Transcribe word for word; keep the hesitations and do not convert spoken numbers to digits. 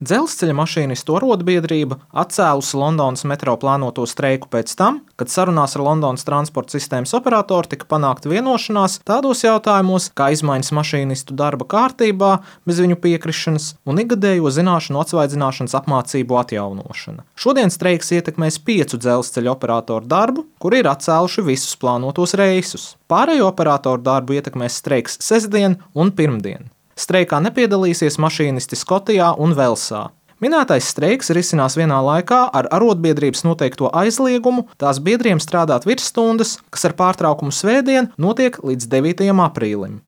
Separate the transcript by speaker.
Speaker 1: Dzelzceļa mašīnistu arotbiedrība atcēlusi Londonas metro plānoto streiku pēc tam, kad sarunās ar Londonas transporta sistēmas operatoru tika panākta vienošanās tādos jautājumos kā izmaiņas mašīnistu darba kārtībā bez viņu piekrišanas un ikgadējo zināšanu atsvaidzināšanas apmācību atjaunošana. Šodien streiks ietekmēs piecu dzelzceļa operatoru darbu, kuri ir atcēluši visus plānotos reisus. Pārējo operatoru darbu ietekmēs streiks sestdien un pirmdien. Streikā nepiedalīsies mašīnisti Skotijā un Velsā. Minētais streiks risinās vienā laikā ar arotbiedrības noteikto aizliegumu tās biedriem strādāt virsstundas, kas ar pārtraukumu svētdien notiek līdz devītajam aprīlim.